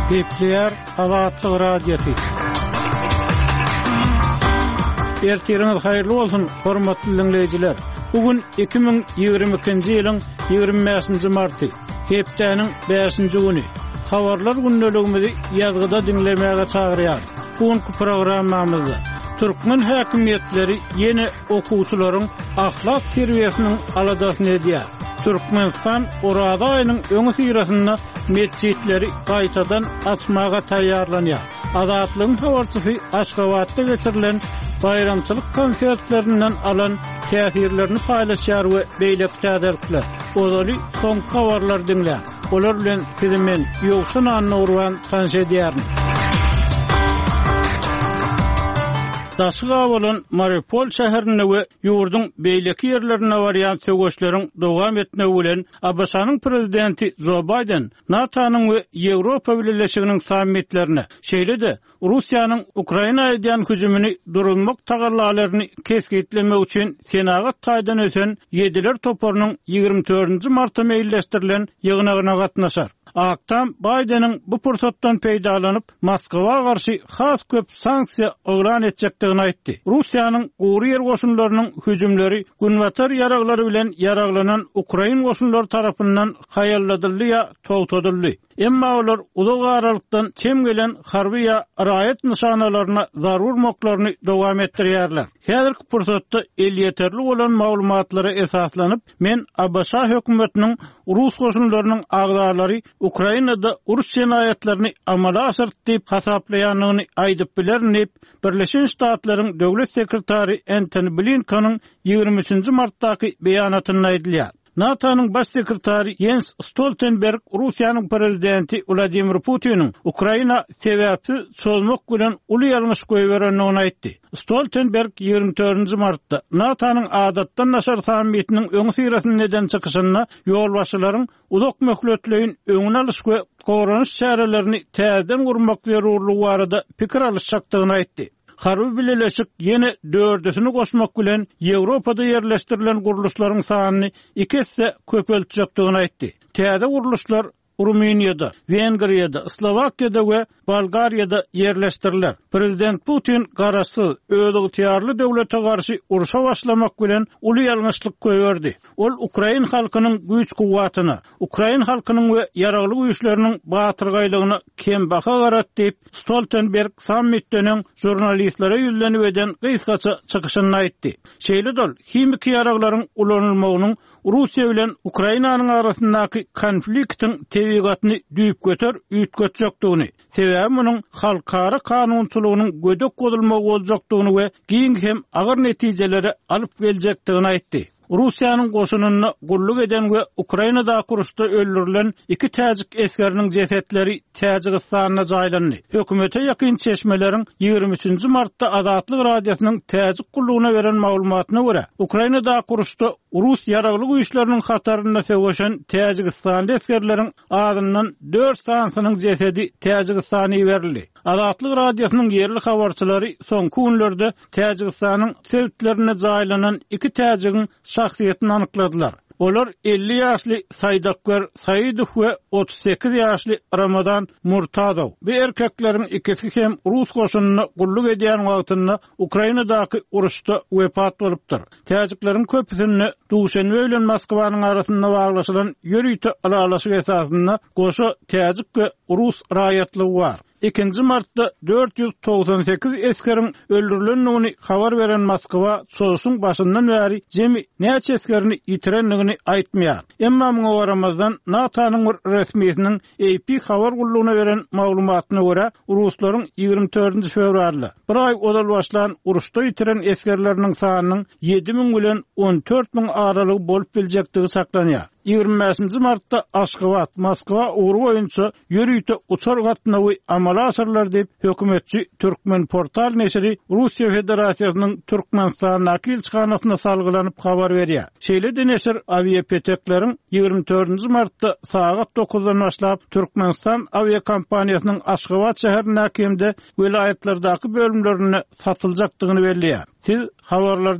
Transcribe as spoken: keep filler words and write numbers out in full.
Gepleýär Azatlyk Radiosy. Ertiriňiz haýyrly bolsun, hormatly diňleýjiler. Bu gün iki müň ýigrimi ikinji ýylyň ýigrimi bäşinji marty, hepdäniň bäşinji güni. Habarlar gündeligimizi ýazgyda diňlemäge çagyrýar. Bu günki programmamyzda türkmen häkimiýetleri ýene okuwçylaryň ahlak terbiýesiniň aladasyny edýär. Türkmenistan Oraza aýynyň öňüsyrasynda metjitleri gaýtadan açmaga taýýarlanýar. Azatlygyň habarçysy Aşgabatda geçirilen baýramçylyk konsertlerinden alan täsirlerini paýlaşýar we beýleki täzelikler. Ozaly soňky habarlary diňläň. Olar bilen sizi men, Ýowşan Annagurban tanyş edýärin. Daşy gabalan Mariupol şäherinde we ýurduň beýleki ýerlerinde barýan söweşleriň dowam etmegi bilen A B Ş-nyň prezidenti Jo Baýden NATO-nyň we Ýewropa Bileleşiginiň sammitlerine, şeýle-de Russiýanyň Ukraina edýän hüjümini duruzmak tagallalaryny kesgitlemek üçin senagat taýdan ösen ýediler toparynyň ýigrimi dördünji marta meýilleşdirilen ýygnagyna gatnaşar. Ak Tam Baýdeniň bu pursatdan peýdalanyp Moskwa garşy has köp sanksiýa yglan etjekdigini aýtdy. Russiýanyň gury ýer goşunlarynyň hüjümleri Günbatar ýaraglary bilen ýaraglanan Ukrain goşunlary tarapyndan haýalladyldy ýa togtadyldy. Emma olar uzak aralykdan çem gelen harby ýa raýat nyşanalaryna zarur moklaryny dowam etdirýärler. Häzirki pursatda elýeterli bolan maglumatlara esaslanyp, men A B Ş hökümetiniň Rus goşunlarynyň agzalary Ukrainada uruş jenaýatlaryny amala aşyrdy diýip hasaplaýandygyny aýdyp bilerin diýip, Birleşen Ştatlaryň Döwlet sekretary Antony Blinkeniň ýigrimi üçünji martdaky beýanatynda aýdylýar. NATO-nyň baş sekretary Jens Stoltenberg Russiýanyň prezidenti Wladimir Putiniň Ukraina sebäpsiz çozmak bilen uly ýalňyş goýberendigini aýtdy. Stoltenberg ýigrimi dördünji martda NATO-nyň adatdan daşary sammitiniň öňüsyrasynda eden çykyşynda ýolbaşçylaryň uzak möhletleýin öňüni alyş we goranyş çärelerini täzeden gurmak zerurlygy barada pikir alyşjakdygyny aýtdy. Harby bileleşik ýene dördüsini goşmak bilen Ýewropada ýerleşdirilen gurluşlaryň sanyny iki esse köpeltjekdigini aýtdy. Täze gurluşlar Rumyniýada, Wengriýada, Slowakiýada we Bolgariýada ýerleşdiriler. Prezident Putin garaşsyz, özygtyýarly döwlete garşy urşa başlamak bilen uly ýalňyşlyk goýberdi. Ol Ukrain halkynyň güýç-kuwwatyna, Ukrain halkynyň we ýaragly güýçleriniň batyrgaýlygyna kembaha garat diýip, Stoltenberg sammitden öň žurnalistlere ýüzlenip eden gysgaça çykyşynda aýtdy. Şeýle-de ol himiki ýaraglaryň ulanylmagynyň Russiýa bilen Ukrainanyň arasyndaky konfliktiň tebigatyny düýpgöter üýtgetjekdigini, sebäbi munuň halkara kanunçylygynyň gödek bozulmagy boljakdygyny we giň hem agyr netijelere alyp geljekdigini aýtdy. Russiýanyň goşunynda gulluk eden we Ukrainadaky uruşda öldürilen iki täjik esgeriniň jesetleri Täjigistanda jaýlandy. Hökümete ýakyn çeşmeleriň ýigrimi üçünji martda Azatlyk Radiosynyň täjik gullugyna beren maglumatyna görä, Ukrainadaky uruşda Rus ýaragly güýçleriniň hatarynda söweşen Täjigistanly esgerleriň azyndan dört sanysynyň jesedi Täjigistana iberildi. Azatlyk Radiosynyň ýerli habarçylary soňky günlerde Täjigistanyň sebitlerinde jaýlanan iki täjigiň şahsyýetini anykladylar. Olar elli ýaşly Saýdakber Saidow we otuz sekiz ýaşly Ramazan Murtazow. Bu erkekleriň ikisi hem Rus goşunynda gulluk edýän wagtynda Ukrainadaky uruşda wepat bolupdyr. Täjikleriň köpüsinde Duşenbe bilen Moskwanyň arasynda baglaşylan ýörite ylalaşyk esasynda goşa täjik we rus raýatlygy bar. Ikinji martda dört ýüz togsan sekiz esgeriň öldürilendigini habar beren Moskwa çozuşyň başyndan bäri jemi näçe esgerini ýitirendigini aýtmaýar. Emma muňa garamazdan NATO-nyň bir resmisiniň A P habar gullugyna beren maglumatyna görä, ruslaryň ýigrimi dördünji fewralda bir aý ozal başlan uruşda ýitiren esgerleriniň sanynyň ýedi müň bilen on dört müň aralygy bolup biljekdigi saklanýar. Ýigrimi bäşinji martda Aşgabat, Moskwa ugry boýunça ýörite uçar gatnawy amala aşyrylar diýip, hökümetçi Türkmen portal neşiri Russiýa Federasiýasynyň Türkmenistandaky ilçihanasyna salgylanyp habar berýär. Şeýle-de neşir awiapetekleriň ýigrimi dördünji martda sagat dokuzdan başlap Türkmenistan awiakompaniýasynyň Aşgabat şäherindäki hem-de welaýatlardaky bölümlerinde satyljakdygyny belleýär. Siz habarlar